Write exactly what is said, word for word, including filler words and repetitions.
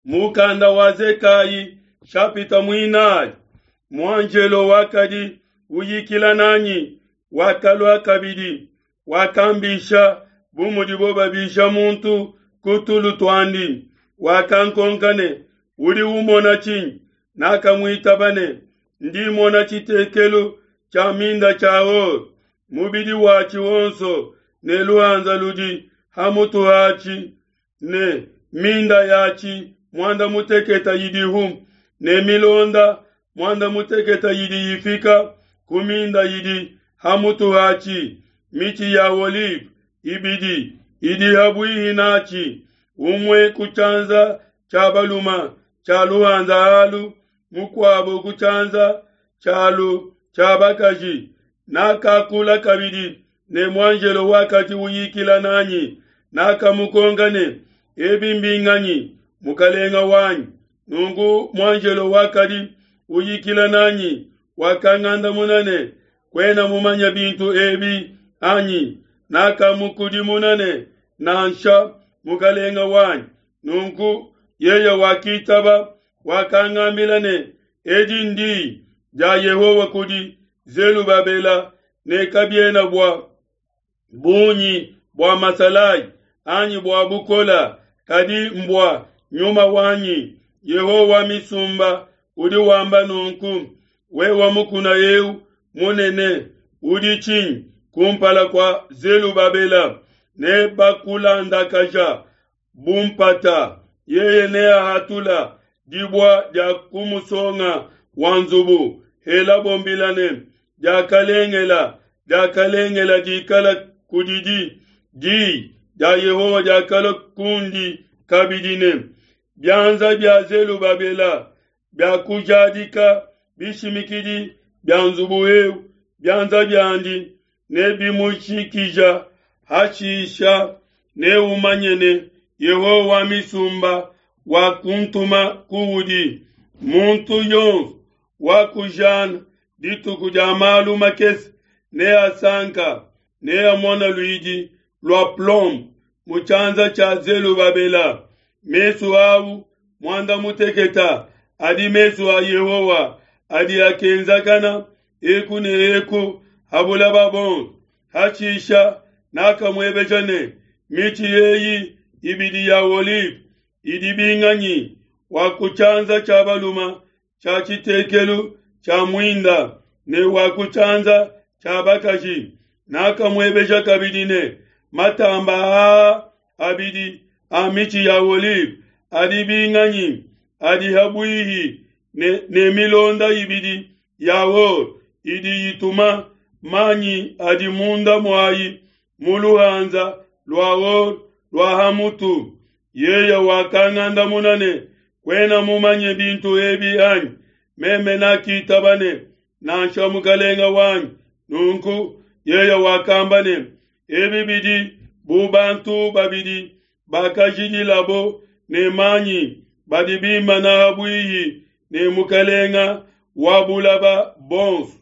Mukanda wa Zekayi shapita muinayi. Muanjelo wakadi uyikila nanyi wakalua kabidi, wakambisha bu mudibo babisha muntu ku tulu tuandi. Wakankonka ne, Udi umona tshinyi? Nakamuitaba ne, Ndi mona tshitekelu tshia minda tshia or, mubidi watshi wonso ne luhanza ludi ha mutu hatshi, ne minda yatshi muanda mutekete idihu, ne milonda muanda mutekete idi ifika ku minda idi ha mutu hatshi. Mitshi ya olive ibidi idi ha buihi natshi, umue ku tshianza tshia baluma tshia luhanza alu, mukuabo ku tshianza tshialu tshia bakaji. Nakakula kabidi ne muanjelo wakadi uyikila nanyi, nakamukonka ne, Ebi mbinganyi, mukalenga wanyi? Nunku muanjelo wakadi uyikila nanyi wakangandamuna ne, Kuena mumanye bintu ebi anyi? Nakamukudimuna ne, Nansha, mukalenga wanyi. Nunku yeye wakitaba, wakangambila ne, Edi ndi dia Yehowa kudi Zelubabela ne kabiena bua bungi bua masalayi anyi bua bukola, kadi mbua nyuma wanyi. Yehowa wa misumba udi wamba nunku: wewa mukuna eu munene udi tshinyi kumpala kua Zelubabela? Ne bakulandakaja bu mpata, yeye neahatula dibua dia ku musonga wa nzubu. Helabo mbila ne, Diakalengela, diakalengela dikala kudidi. Di dia Yehowa diakalua kundi kabidi ne, bianza bia Zelubabela biakujadika bishimikidi bia nzubu eu, bianza biandi nebimushikija. Hashisha neumanye ne, Yehowa wa misumba wakuntuma kuudi. Muntu yonso wakujana dituku dia malu makese neasanka, neamona luidi lua plomb mu tshianza tshia Zelubabela. Mesu au muanda muteketa adi mesu a Yehowa adi akenzakana eku ne eku ha bulaba bonso. Hashisha nakamuebeja ne, mitshi eyi ibidi ya olive idi binganyi? Wa ku tshianza tshia baluma tshia tshitekelu tshia muinda ne wa ku tshianza tshia bakaji. Nakamuebeja kabidi ne, matamba aa abidi a mitshi ya olive adi binganyi? Adi ha buihi ne, ne milonda ibidi ya or idi ituma manyi adi munda muayi mu luhanza lua or lua ha mutu. Yeye wakangandamuna ne, kuena mumanye bintu ebi anyi? Meme nakitaba ne, nansha mukalenga wanyi. Nunku yeye wakamba ne, ebi bidi bu bantu babidi bakajidilabo ne manyi badi bimana ha buihi ne mukalenga wa bulaba bonso.